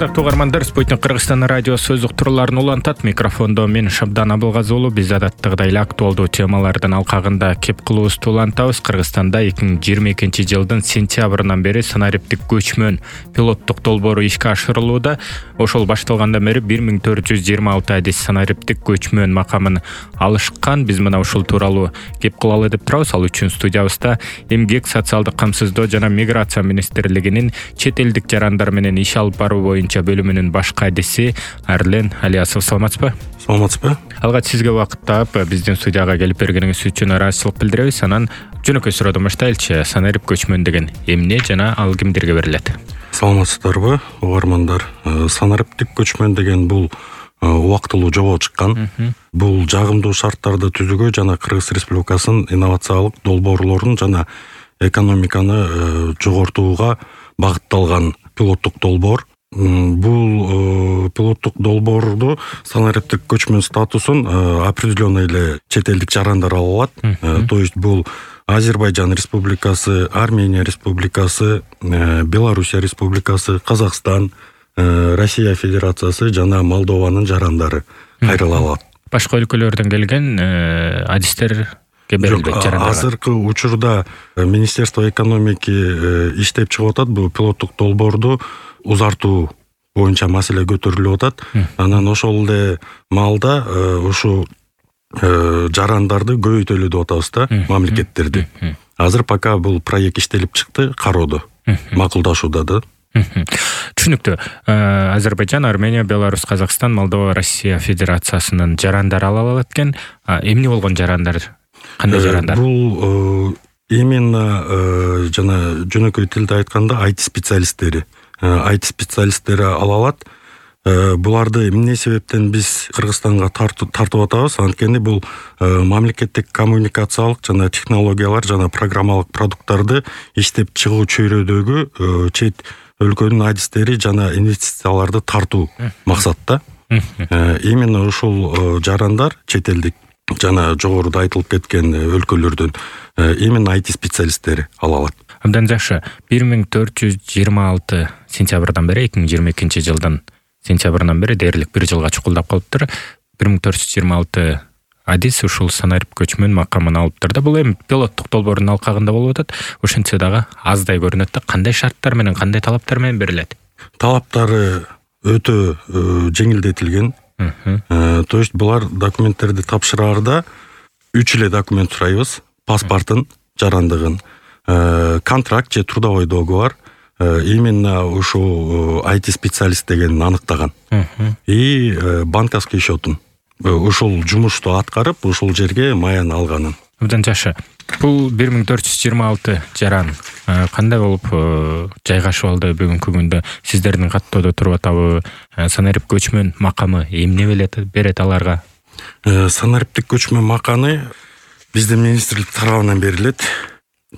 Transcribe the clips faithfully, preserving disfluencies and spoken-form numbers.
Ардактуу угармандар, Спутник Кыргызстан радиосу өз уктурууларын улантат. Микрофондо мен Шабдан Абылгазы уулу. Биз адаттагыдай эле актуалдуу темалардын алкагында кеп кылуубузду улантабыз. Кыргызстанда эки миң жыйырма экинчи жылдын сентябрынан бери санариптик көчмөн пилоттук долбоору ишке ашырылууда. Ошол башталгандан бери бир миң төрт жүз жыйырма алты адис санариптик көчмөн макамын алышкан. Биз мына ушул тууралуу кеп кылалы деп турабыз. Ал үчүн студиябызда Эмгек, социалдык камсыздоо жана миграция министрлигинин чет элдик жарандар менен иш алып баруу боюнча бөлүмүнүн башкы адиси Арлен Алиасов. Саламатсызбы? Саламатсызбы? Алгач сизге убакыт таап биздин студияга келип бергениңиз үчүн ыраазычылык билдиребиз. Анан жөнөкөй суроодон баштайлычы. Санарип көчмөн деген эмне жана ал кимдерге берилет? Саламатсыздарбы, угармандар? Санариптик көчмөн деген бул убактылуу жобо чыккан. Бул жагымдуу шарттарды түзүүгө жана Кыргыз Республикасынын инновациялык долбоорлорун жана экономиканы жогортууга багытталган пилоттук долбоор. Бул пилоттук долбоорду санариптик көчмөн статусун определенный эле чет элдик жарандар ала алат. То есть бул Азербайжан Республикасы, Армения Республикасы, Белоруссия Республикасы, Казакстан, Россия Федерациясы жана Молдованын жарандары кайрыла алат. Башка өлкөлөрдөн келген адистер азыркы учурда Министерство экономики иштеп чыгып атат. Бул пилоттук долбоорду узартуу боюнча маселе көтөрүлүп атат. Анан ошол эле маалда ушу жарандарды көбөйтөлү деп атабыз да, мамлекеттерди. Азыр пока бул проект иштелип чыкты, кароодо, макулдашууда да. Түшүнүктүү. Азербайжан, Армения, Беларусь, Казакстан, Молдова, Россия Федерациясынын жарандары ала алат экен. Эмне болгон жарандар? Кандай жарандар? Бул именно жана жөнөкөй тилде айтканда ай ти специалисттери. ай ти специалисттери ала алат. Буларды эмне себептен биз Кыргызстанга тартып атабыз? Анткени бул мамлекеттик коммуникациялык жана технологиялар жана программалык продукттарды иштеп чыгуу чөйрөдөгү чет өлкөнүн адистери жана инвестицияларды тартуу максатта. Именно ушул жарандар чет элдик жана жогоруда айтылып кеткен өлкөлөрдөн именно ай ти специалисттери ала алат. Абдан жакшы. бир миң төрт жүз жыйырма алты сентябрдан бери эки миң жыйырма экинчи жылдын сентябрынан бери дээрлик бир жылга чукулдап калыптыр. бир миң төрт жүз жыйырма алты адис ушул санарип көчмөн макамын алыптыр да. Бул эми пилоттук долбоордун алкагында болуп атат. Ошентсе дагы аздай көрүнөт да. Кандай шарттар менен, кандай талаптар менен берилет? Талаптары өтө жеңилдетилген. То есть булар документтерди тапшыраарда үч эле документ сурайбыз: паспортун, жарандыгын, контракт же трудовой договор, именно ушул ай ти специалист дегенин аныктаган. И банковский счетун. Ушул жумушту аткарып, ушул жерге маян алганын. Абдан жакшы. Бул бир миң төрт жүз жыйырма алты жаран кандай болуп жайгашып алды бүгүнкү күндө? Сиздердин каттоодо туруп атабы? Санарип көчмөн макамы эмне берет аларга? Санариптик көчмөн маканы биздин министрлик тарабынан берилет.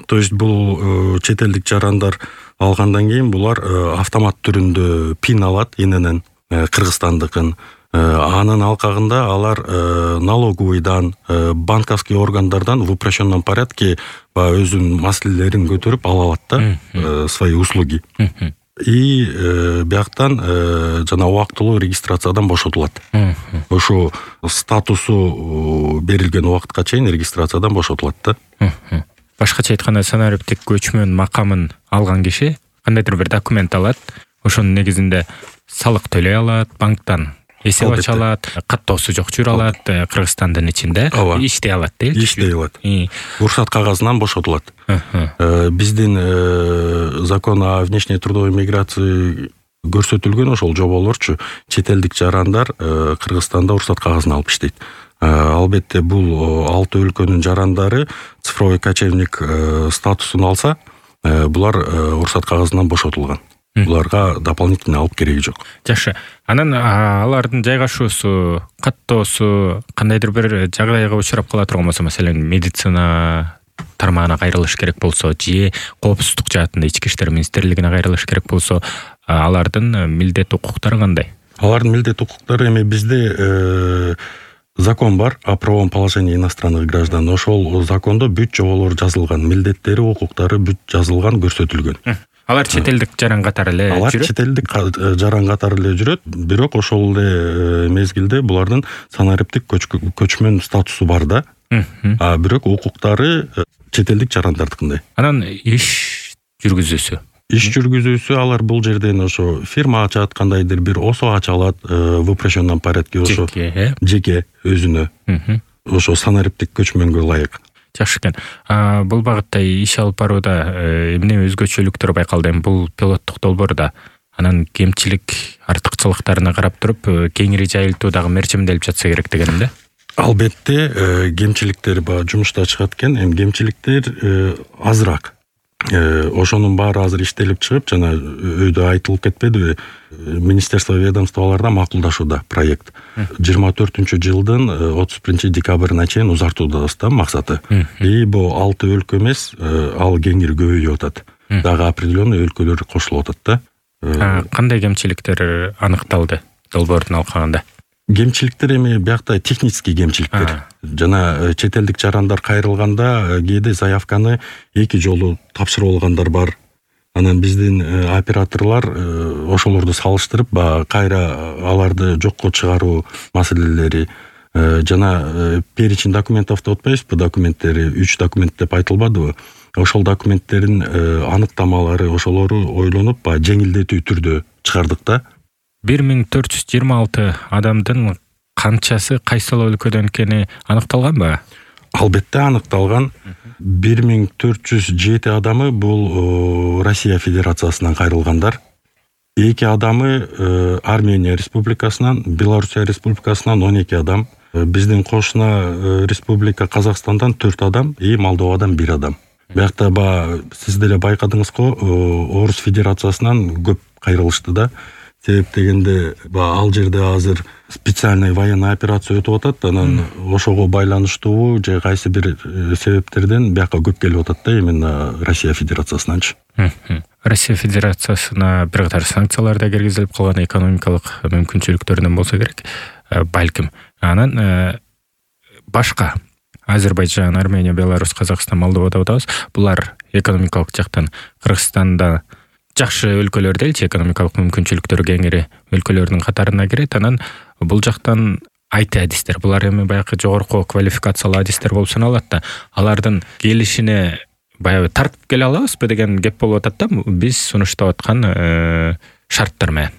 То есть бул чет элдик жарандар алгандан кийин булар автомат түрүндө пин алат иненен, Кыргызстандыкын. Анын алкагында алар налоговыйдан, банковский органдардан в упрощенном порядке өзүнүн маселелерин көтөрүп ала алат да, свои услуги. И бияктан жана убактылуу регистрациядан бошотулат. Ошо статусу берилген убакытка чейин регистрациядан бошотулат да. Башкача айтканда, санариптик көчмөн макамын алган киши кандайдыр бир документ алат. Ошонун негизинде салык төлөй алат, банктан эсеп ача алат, каттоосу жок жүрө алат, Кыргызстандын ичинде иштей алат дейли. Иштей алат. Уруксат кагазынан бошотулат. Биздин закон о внешней трудовой миграции көрсөтүлгөн ошол жоболорчу чет элдик жарандар Кыргызстанда уруксат кагазын алып иштейт. Албетте бул алты өлкөнүн жарандары цифровой кочевник статусун алса, булар уруксат кагазынан бошотулган. Буларга дополнительно алып кереги жок. Жакшы. Анан алардын жайгашуусу, каттоосу кандайдыр бир жагдайга учурап кала турган болсо, маселен, медицина тармагына кайрылыш керек болсо, же коопсуздук жаатында ички иштер министрлигине кайрылыш керек болсо, алардын милдет укуктары кандай? Алардын милдет укуктары эми бизде закон бар о правовом положении иностранных граждан. Ошол закондо бүт жоболор жазылган, милдеттери, укуктары бүт жазылган, көрсөтүлгөн. Алар чет элдик жаран катары эле жүрөт. Алар чет элдик жаран катары эле жүрөт, бирок ошол эле мезгилде булардын санариптик көчмөн статусу бар да. А бирок укуктары чет элдик жарандардыкындай. Анан иш жүргүзүүсү. Иш жүргүзүүсү алар бул жерден ошо фирма ачат, кандайдыр бир осо ача алат в упрощенном порядке, ошо жеке өзүнө. Ошо санариптик көчмөнгө ылайык. Жакшы экен. Бул багытта иш алып барууда эмне өзгөчөлүктөр байкалды? Бул пилоттук долбоорда анан кемчилик, артыкчылыктарына карап туруп кеңири жайылтуу дагы мерчимделип жатса керек дегеним да. Албетте кемчиликтер баягы жумушта чыгат экен, эми кемчиликтер азыраак. Ошонун баары азыр иштелип чыгып, жана өйдө айтылып кетпедиби? Министерство ведомстволарда макулдашууда проект. жыйырма төртүнчү жылдын отуз биринчи декабрына чейин узартуудабыз да максаты. И бул алты өлкө эмес, ал кеңири көбөйүп атат. Дагы определенный өлкөлөр кошулуп атат да. Кандай кемчиликтер аныкталды долбоордун алкагында? Кемчиликтер эми биякта технический кемчиликтер. Жана чет элдик жарандар кайрылганда кээде заявканы эки жолу тапшырып алгандар бар. Анан биздин операторлор ошолорду салыштырып, кайра аларды жокко чыгаруу маселелери жана перечень документов деп атпайбызбы, документтери үч документ деп айтылбадыбы? Ошол документтердин аныктамалары, ошолору ойлонуп, жеңилдетүү түрдө чыгардык да. бир миң төрт жүз жыйырма алты адамдын канчасы кайсыл өлкөдөн экени аныкталганбы? Албетте аныкталган. бир миң төрт жүз жети адамы бул Россия Федерациясынан кайрылгандар. эки адамы Армения Республикасынан, Белоруссия Республикасынан он эки адам. Биздин кошуна республика Казакстандан төрт адам и Молдовадан бир адам. Биякта ба сиз деле байкадыңыз го, Орус Федерациясынан көп кайрылышты да. Себеп дегенде ал жерде азыр специальный военный операция өтүп атат, анан ошого байланыштуу же кайсы бир себептерден бияка көп келип атат да, именно Россия Федерациясынанчы. Россия Федерациясына бир катар санкциялар да киргизилип калган, экономикалык мүмкүнчүлүктөрүнөн болсо керек, балким. Анан башка Азербайджан, Армения, Беларусь, Казакстан, Молдовада атабыз. Булар экономикалык жактан Кыргызстанда жакшы өлкөлөр делчи, экономикалык мүмкүнчүлүктөрү кеңири өлкөлөрдүн катарына кирет. Анан бул жактан ай ти адистер, булар эми баягы жогорку квалификациялуу адистер болуп саналат да. Алардын келишине баягы тартып келе алабызбы деген кеп болуп атат да. Биз сунуштап аткан шарттар менен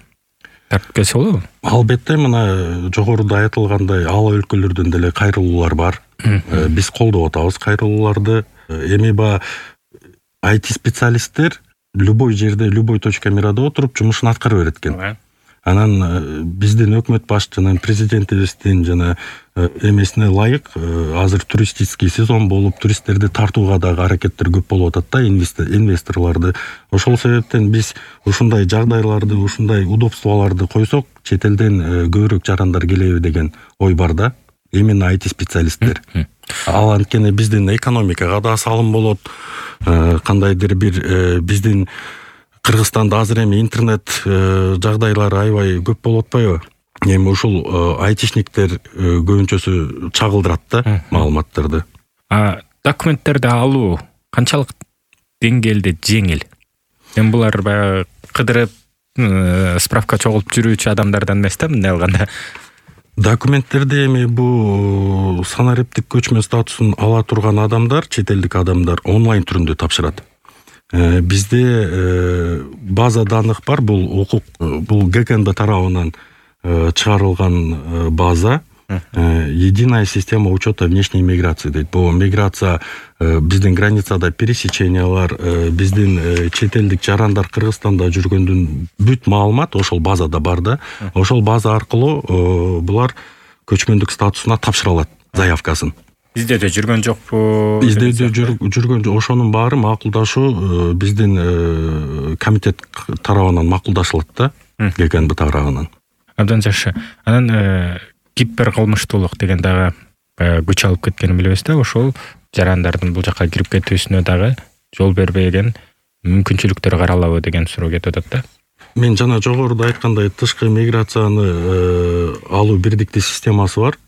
тартып келсе болобу? Албетте, мына жогоруда айтылгандай ал өлкөлөрдөн деле кайрылуулар бар. Биз колдоп атабыз кайрылууларды. Эми ба ай ти специалисттер любой жерде, любой точка мирада отуруп жумушун аткара берет экен. Анан биздин өкмөт башчынын, президентибиздин жана эмесине ылайык азыр туристический сезон болуп, туристтерди тартууга дагы аракеттер көп болуп атат да, инвесторлорду. Ошол себептен биз ушундай жагдайларды, ушундай удобстволорду койсок, чет элден көбүрөөк жарандар келеби деген ой бар да. Именно ай ти специалисттер. Ал анткени биздин экономикага да салым болот. Кандайдыр бир биздин Кыргызстанда азыр эми интернет жагдайлары аябай көп болуп атпайбы? Эми ушул айтишниктер көбүнчөсү чагылдырат да маалыматтарды. А документтерди алуу канчалык деңгээлде жеңил? Эми булар баягы кыдырып справка чогулуп жүрүүчү адамдардан эмес да, мындай алганда. Документтерди эми бул санариптик көчмө статусун ала турган адамдар, чет элдик адамдар онлайн түрүндө тапшырат. Бизде база данных бар, бул укук, бул гэ ка эн бэ тарабынан чыгарылган база, единая система учета внешней миграции дейт. Бул миграция биздин границада пересечениялар, биздин чет элдик жарандар Кыргызстанда жүргөндүн бүт маалымат ошол базада бар да. Ошол база аркылуу булар көчмөндүк статусуна тапшыра алат заявкасын. Издөөдө жүргөн жокпу? Издөөдө жүргөн жок. Ошонун баары макулдашуу биздин комитет тарабынан макулдашылат да, гэ ка эн бэ тарабынан. Абдан жакшы. Анан кибер кылмыштуулук деген дагы күч алып кеткенин билебиз да, ошол жарандардын бул жакка кирип кетүүсүнө дагы жол бербеген мүмкүнчүлүктөр каралабы деген суроо кетип атат да. Мен жана жогоруда айткандай тышкы миграцияны алуу бирдиктүү системасы бар.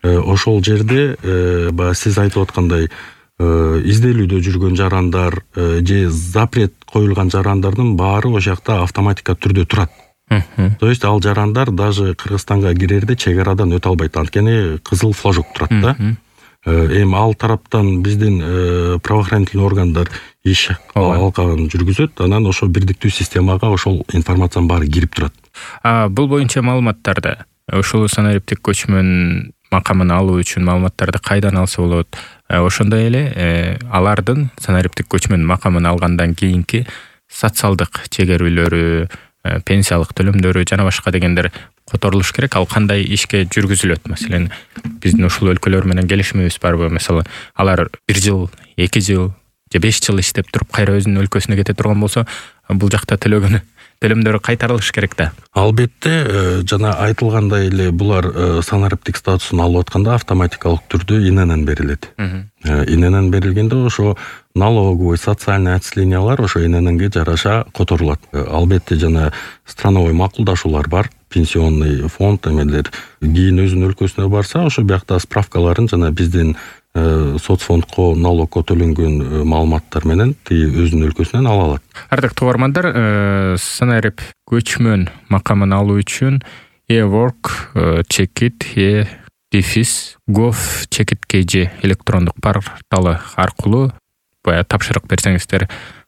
Ошол жерде баягы сиз айтып аткандай изделүүдө жүргөн жарандар же запрет коюлган жарандардын баары ошол жакта автоматика түрдө турат. То есть ал жарандар даже Кыргызстанга кирерде чек арадан өтө албайт, анткени кызыл флажок турат да. Эми ал тараптан биздин правоохранительный органдар иш алкагын жүргүзөт, анан ошол бирдиктүү системага ошол информациянын баары кирип турат. А бул боюнча маалыматтарды ушул санариптик көчмөн макамын алуу үчүн маалыматтарды кайдан алса болот? Ошондой эле алардын санариптик көчмөн макамын алгандан кийинки социалдык чегерүүлөрү, пенсиялык төлөмдөрү жана башка дегендер которулуш керек. Ал кандай ишке жүргүзүлөт? Маселен, биздин ушул өлкөлөр менен келишимибиз барбы? Мисалы, алар бир жыл, эки жыл же беш жыл иштеп туруп кайра өзүнүн өлкөсүнө кете турган болсо, бул жакта төлөгөн төлөмдөрү кайтарылыш керек да. Албетте, жана айтылгандай эле булар санариптик статусун алып атканда автоматикалык түрдө иненен берилет. Иненен берилгенде ошо налоговый, социальный отчислениялар ошо инененге жараша которулат. Албетте жана страновой макулдашуулар бар, пенсионный фонд эмелер. Кийин өзүнүн өлкөсүнө барса, ошо биякта справкаларын жана биздин соцфондко, налогко төлөнгөн маалыматтар менен тиги өзүнүн өлкөсүнөн ала алат. Ардактуу угармандар, санарип көчмөн макамын алуу үчүн e-work чекит e дефис gov чекит kg электрондук порталы аркылуу бая тапшырык берсеңиздер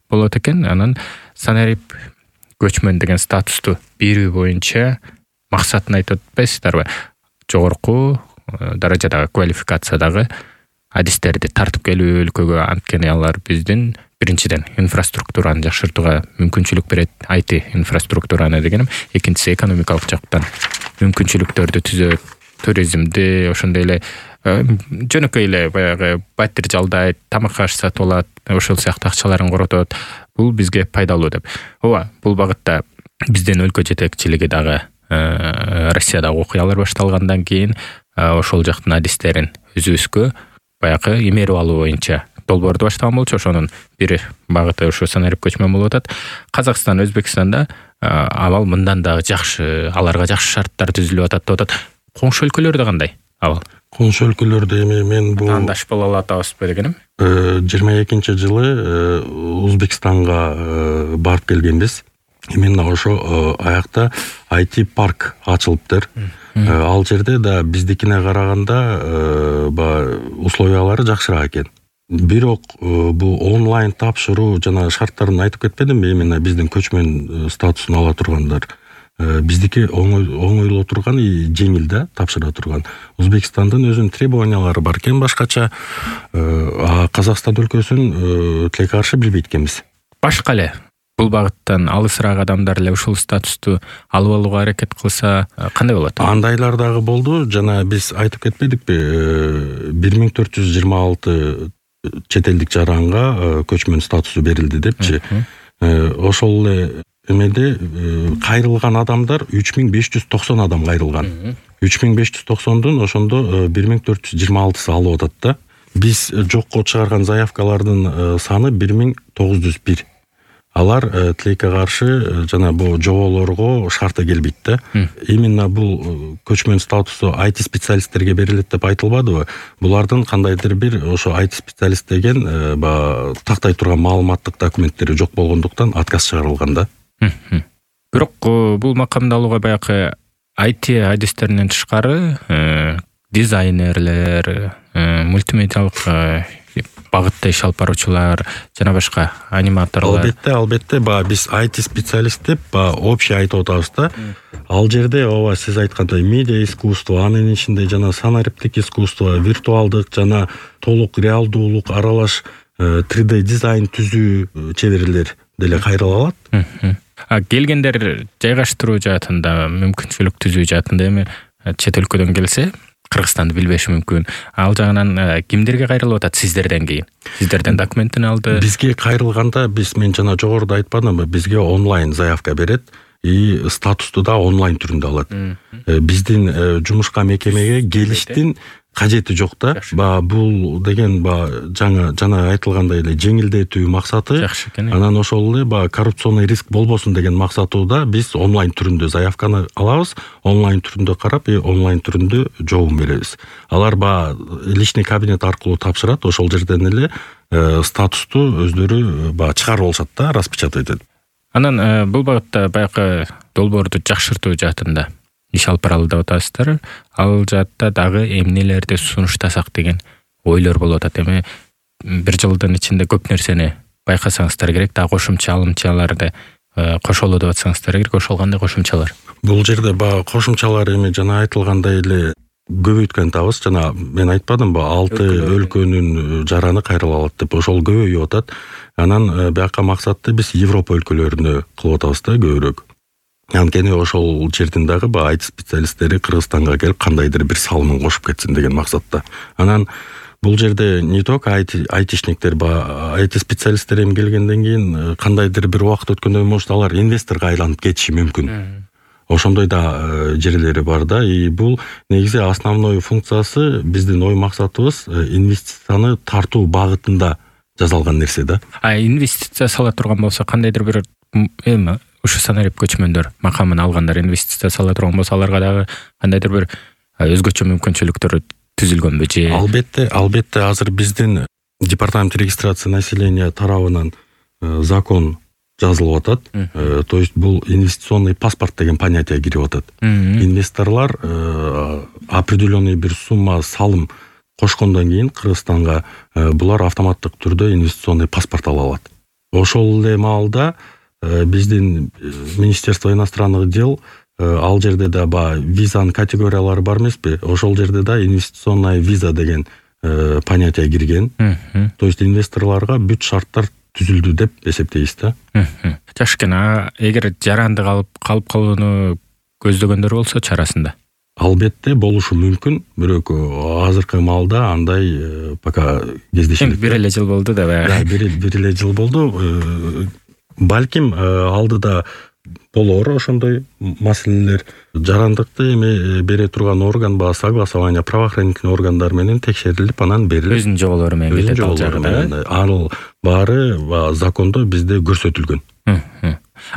болот экен. Анан санарип көчмөн деген статусту берүү боюнча максатын айтып атпайсыздарбы? Жогорку даражадагы квалификациядагы адистерди тартып келүү өлкөгө, анткени алар биздин биринчиден инфраструктураны жакшыртууга мүмкүнчүлүк берет, ай ти инфраструктураны дегеним, экинчиси экономикалык жактан мүмкүнчүлүктөрдү түзөт, туризмди, ошондой эле жөнөкөй эле баягы батир жалдайт, тамак аш сатып алат, ошол сыяктуу акчаларын коротот. Бул бизге пайдалуу деп. Ооба, бул багытта биздин өлкө жетекчилиги дагы Россиядагы окуялар башталгандан кийин ошол жактын адистерин өзүбүзгө баягы имерип алуу боюнча долбоорду баштаган болчу. Ошонун бир багыты ошо санарип көчмөн болуп атат. Казакстан, Өзбекстанда абал мындан дагы жакшы, аларга жакшы шарттар түзүлүп атат деп атат. Коңшу өлкөлөрдө кандай абал? Коңшу өлкөлөрдө эми мен бул андаш боло атабызбы дегеним? жыйырма экинчи жылы Өзбекстанга барып келгенбиз. Именно ошо аякта ай ти парк ачылыптыр. Ал жерде да биздикине караганда условиялары жакшыраак экен. Бирок бул онлайн тапшыруу жана шарттарын айтып кетпедимби? Именно биздин көчмөн статусун ала тургандар. Биздики оңойло турган, жеңил да тапшыра турган. Өзбекстандын өзүнүн требованиялары бар экен башкача. А Казакстан өлкөсүн тилекке каршы билбейт экенбиз. Башка эле бул багыттан алысыраак адамдар эле ушул статусту алып алууга аракет кылса кандай болот? Андайлар дагы болду. Жана биз айтып кетпедикпи? бир миң төрт жүз жыйырма алты чет элдик жаранга көчмөн статусу берилди депчи. Ошол эле эмеде кайрылган адамдар үч миң беш жүз токсон адам кайрылган. үч миң беш жүз токсондун ошондо бир миң төрт жүз жыйырма алтысы алып атат да. Биз жокко чыгарган заявкалардын саны бир миң тогуз жүз бир. Алар тилекке каршы жана бул жоболорго шарты келбейт да. Именно бул көчмөн статусу ай ти специалисттерге берилет деп айтылбадыбы? Булардын кандайдыр бир ошо ай ти специалист деген тактай турган маалыматтык документтери жок болгондуктан отказ чыгарылган да. Бирок бул макамды алууга баягы ай ти адистеринен тышкары дизайнерлер, мультимедиалык багытта иш алып баруучулар жана башка аниматорлор. Албетте, албетте, ба биз ай ти специалист деп ба общий айтып атабыз да. Ал жерде ооба сиз айткандай медиа искусство, анын ичинде жана санариптик искусство, виртуалдык жана толук реалдуулук аралаш три дэ дизайн түзүү чеберлер деле кайрыла алат. А келгендер жайгаштыруу жаатында, мүмкүнчүлүк түзүү жаатында эми чет өлкөдөн келсе, Кыргызстанды билбеши мүмкүн. Ал жагынан кимдерге кайрылып атат сиздерден кийин? Сиздерден документин алды? Бизге кайрылганда биз мен жана жогоруда айтпадымбы, бизге онлайн заявка берет и статусту да онлайн түрүндө алат. Биздин жумушка мекемеге келиштин кажети жок да. Баягы бул деген баягы жаңы жана айтылгандай эле жеңилдетүү максаты. Жакшы экен. Анан ошол эле баягы коррупционный риск болбосун деген максатыда биз онлайн түрүндө заявканы алабыз, онлайн түрүндө карап, и онлайн түрүндө жообун беребиз. Алар баягы личный кабинет аркылуу тапшырат, ошол жерден эле статусту өздөрү баягы чыгарып алышат да, распечатать этип. Анан бул багытта баягы долбоорду жакшыртуу жаатында иш алып баралы деп атасыздар. Ал жаатта дагы эмнелерди сунуштасак деген ойлор болуп атат. Эми бир жылдын ичинде көп нерсени байкасаңыздар керек, дагы кошумча алымчаларды кошолу деп атсаңыздар керек. Ошол кандай кошумчалар? Бул жерде баягы кошумчалар эми жана айтылгандай эле көбөйткөн атабыз. Жана мен айтпадымбы, алты өлкөнүн жараны кайрыла алат деп, ошол көбөйүп атат. Анан бияка максатты биз Европа өлкөлөрүнө кылып атабыз да көбүрөөк. Анткени ошол жердин дагы баягы ай ти специалисттери Кыргызстанга келип кандайдыр бир салымын кошуп кетсин деген максатта. Анан бул жерде не только айтишниктер, баягы ай ти специалисттер эми келгенден кийин кандайдыр бир убакыт өткөндөн кийин может алар инвесторго айланып кетиши мүмкүн. Ошондой да жерлери бар да. И бул негизи основной функциясы, биздин ой максатыбыз инвестицияны тартуу багытында жасалган нерсе да. А инвестиция сала турган болсо, кандайдыр бир эми ушу санарип көчмөндөр макамын алгандар инвестиция сала турган болсо, аларга дагы кандайдыр бир өзгөчө мүмкүнчүлүктөр түзүлгөнбү же? Албетте, албетте азыр биздин департамент регистрация населения тарабынан закон жазылып атат. То есть бул инвестиционный паспорт деген понятие кирип атат. Инвесторлор определенный бир сумма салым кошкондон кийин Кыргызстанга булар автоматтык түрдө инвестиционный паспорт ала алат. Ошол эле маалда биздин Министерство иностранных дел ал жерде да ба визанын категориялары бар эмеспи? Ошол жерде да инвестиционная виза деген понятие кирген. То есть инвесторлорго бүт шарттар түзүлдү деп эсептейбиз да. Жакшы экен. А эгер жаранды калып калып калууну көздөгөндөр болсо чарасында? Албетте болушу мүмкүн, бирок азыркы маалда андай пока кездешилик. Бир эле жыл болду да баягы. Бир эле жыл болду. Балким алдыда болор ошондой маселелер. Жарандыкты эми бере турган орган ба согласование правоохранительный органдар менен текшерилип, анан берилип. Өзүнүн жоболору менен кетет ал жагы. Ал баары закондо бизде көрсөтүлгөн.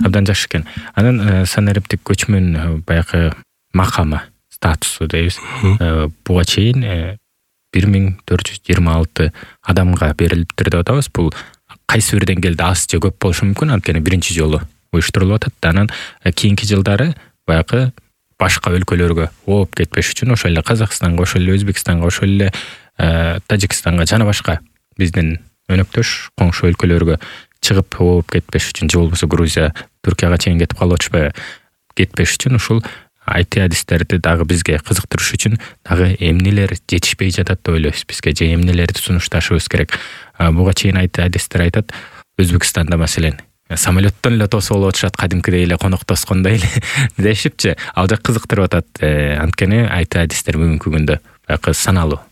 Абдан жакшы экен. Анан санариптик көчмөн баягы макамы, статусу дейбиз. Буга чейин бир миң төрт жүз жыйырма алты адамга берилиптир деп атабыз. Бул кайсы бир деңгээлде аз же көп болушу мүмкүн, анткени биринчи жолу уюштурулуп атат. Анан кийинки жылдары баягы башка өлкөлөргө ооп кетпеш үчүн ошол эле Казакстанга, ошол эле Өзбекстанга, ошол эле Тажикстанга жана башка биздин өнөктөш коңшу өлкөлөргө чыгып ооп кетпеш үчүн, же болбосо Грузия, Түркияга чейин кетип калып атышпайбы, кетпеш үчүн ушул ай ти адистерди дагы бизге кызыктырыш үчүн дагы эмнелер жетишпей жатат деп ойлойбуз бизге, же эмнелерди сунушташыбыз керек. Буга чейин ай ти адистер айтат, Өзбекстанда маселен самолеттон эле тосуп алып атышат, кадимкидей эле конок тоскондой эле дешипчи. Ал жак кызыктырып атат. Анткени ай ти адистер бүгүнкү күндө баягы саналуу.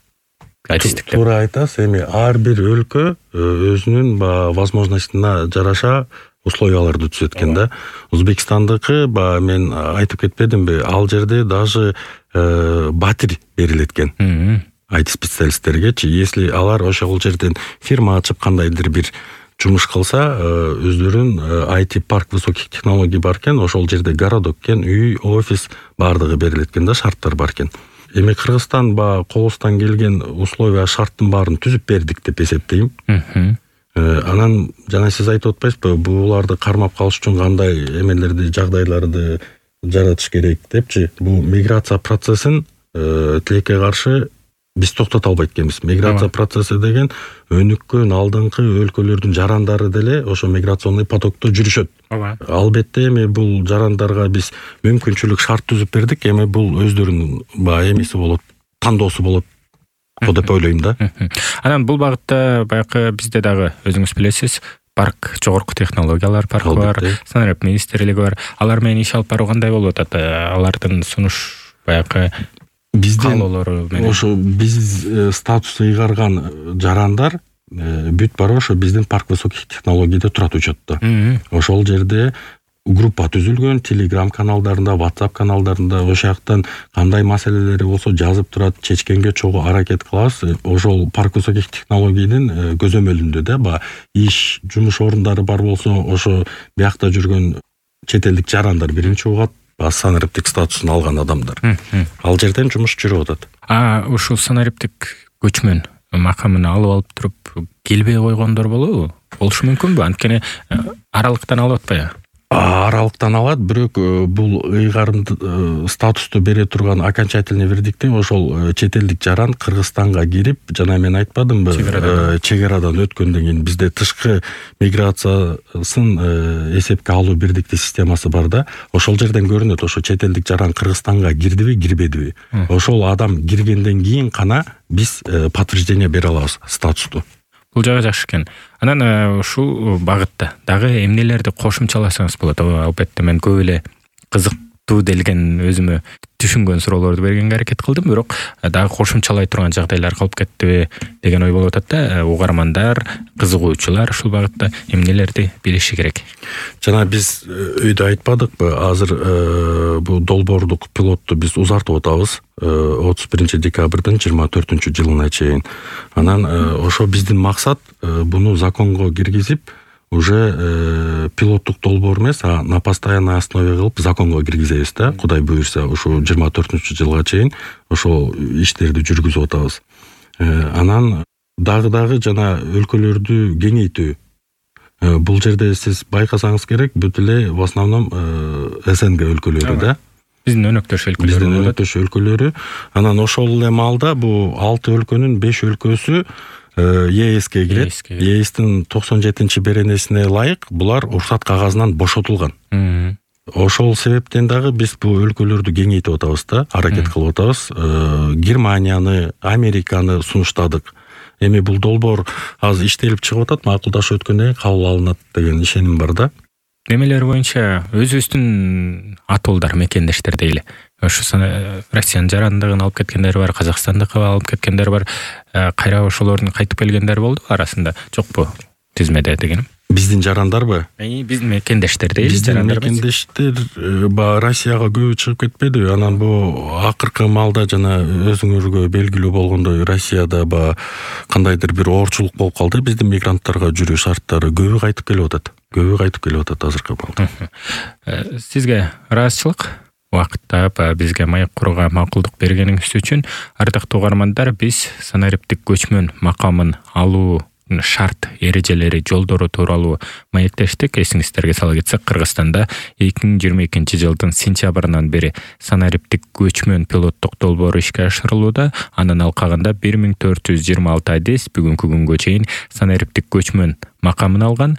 Туура айтасыз. Эми ар бир өлкө өзүнүн возможностуна жараша условияларды түзөт экен да. Өзбекстандыкы ба мен айтып кетпедимби, ал жерде даже батир берилет экен ай ти специалисттерге. Если алар ошол жерден фирма ачып кандайдыр бир жумуш кылса, өздөрүн ай ти парк высоких технологий бар экен, ошол жерде городок экен, үй, офис баардыгы берилет экен да, шарттар бар экен. Эми Кыргызстан ба колубуздан келген условия шарттын баарын түзүп бердик деп эсептейм. Анан жана сиз айтып атпайсызбы, буларды кармап калыш үчүн кандай эмелерди, жагдайларды жаратыш керек депчи. Бул миграция процессин тилекке каршы биз токтото албайт экенбиз. Миграция процесси деген өнүккөн алдыңкы өлкөлөрдүн жарандары деле ошо миграционный потокто жүрүшөт. Албетте эми бул жарандарга биз мүмкүнчүлүк шарт түзүп бердик. Эми бул өздөрүнүн баягы эмеси болот, тандоосу болот деп ойлойм да. Анан бул багытта баягы бизде дагы өзүңүз билесиз, парк, жогорку технологиялар паркы бар, санарип министрлиги бар. Алар менен иш алып баруу кандай болуп атат? Алардын сунуш баягы биздин ошо биз статусу ыйгарган жарандар бүт бары ошо биздин парк высоких технологийде турат учетто. Ошол жерде группа түзүлгөн, телеграм каналдарында, WhatsApp каналдарында ошол жактан кандай маселелери болсо жазып турат, чечкенге чогуу аракет кылабыз. Ошол паркусаких технологиянын көзөмөлүндө да баягы иш, жумуш орундары бар болсо, ошо биякта жүргөн чет элдик жарандар биринчи угат, санариптик статусун алган адамдар. Ал жерден жумуш жүрүп атат. А ушул санариптик көчмөн макамын алып алып туруп келбей койгондор болобу? Болушу мүмкүнбү? Анткени аралыктан алып атпайбы? Аралыктан алат, бирок бул ыйгарымды статусту бере турган окончательный вердикти ошол чет элдик жаран Кыргызстанга кирип, жана мен айтпадымбы, чегарадан өткөндөн кийин бизде тышкы миграциясын эсепке алуу бирдиктүү системасы бар да. Ошол жерден көрүнөт, ошо чет элдик жаран Кыргызстанга кирдиби, кирбедиби. Ошол адам киргенден кийин гана биз подтверждение бере алабыз статусту. Бул жагы жакшы экен. Анан ушул багытта дагы эмнелерди кошумчаласаңыз болот? Албетте мен көп эле кызыктуу делген өзүмө түшүнгөн суроолорду бергенге аракет кылдым, бирок дагы кошумчалай турган жагдайлар калып кеттиби деген ой болуп атат да. Угармандар, кызыгуучулар ушул багытта эмнелерди билиши керек? Жана биз өйдө айтпадыкпы, азыр бул долбоордук пилотту биз узартып атабыз отуз биринчи декабрдын жыйырма төртүнчү жылына чейин. Анан ошо биздин максат буну законго киргизип, уже пилоттук долбоор эмес, а на постоянной основе кылып законго киргизебиз да, Кудай буйрса, ушу жыйырма төртүнчү жылга чейин ошол иштерди жүргүзүп атабыз. Анан дагы-дагы жана өлкөлөрдү кеңейтүү. Бул жерде сиз байкасаңыз керек, бүт эле в основном СНГ өлкөлөрү да. Биздин өнөктөш өлкөлөрү. Биздин өнөктөш өлкөлөрү. Анан ошол эле маалда бул алты өлкөнүн беш өлкөсү ЕСке кирет. ЕСтин токсон жетинчи беренесине ылайык булар уруксат кагазынан бошотулган. Ошол себептен дагы биз бул өлкөлөрдү кеңейтип атабыз да, аракет кылып атабыз. Германияны, Американы сунуштадык. Эми бул долбоор азыр иштелип чыгып атат, макулдашып өткөндөн кийин кабыл алынат деген ишеним бар да. Немелер боюнча өзүбүздүн атуулдар, мекендештер дейли. Ошо Россиянын жарандыгын алып кеткендер бар, Казакстандыкы алып кеткендер бар. Кайра ошолордун кайтып келгендер болду арасында. Жокпу тизмеде дегеним? Биздин жарандарбы? Биздин мекендештер дейли, жарандар. Биздин мекендештер ба Россияга көбү чыгып кетпеди. Анан бу акыркы маалда жана өзүңөргө белгилүү болгондой Россияда ба кандайдыр бир оорчулук болуп калды. Биздин мигранттарга жүрүү шарттары көбү кайтып келип атат. Көбү кайтып келип атат азыркы маалда. Сизге ыраазычылык убакытта бизге маек курууга макулдук бергениңиз үчүн. Ардактуу угармандар, биз санариптик көчмөн макамын алуу шарт эрежелери, жолдору тууралуу маектештик. Эсиңиздерге сала кетсек, Кыргызстанда эки миң жыйырма экинчи жылдын сентябрынан бери санариптик көчмөн пилоттук долбоору ишке ашырылууда. Анын алкагында бир миң төрт жүз жыйырма алты адис бүгүнкү күнгө чейин санариптик көчмөн макамын алган.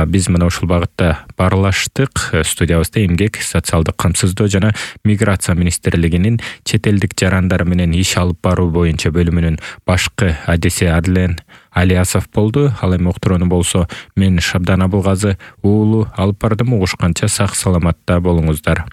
Биз мына ушул багытта баарлаштык. Студиябызда эмгек, социалдык камсыздоо жана миграция министрлигинин чет элдик жарандар менен иш алып баруу боюнча бөлүмүнүн башкы адиси Адлен Алиасов болду. Ал эми уктурууну болсо мен Шабдан Абылгазы уулу алып бардым. Угушканча сак саламатта болуңуздар.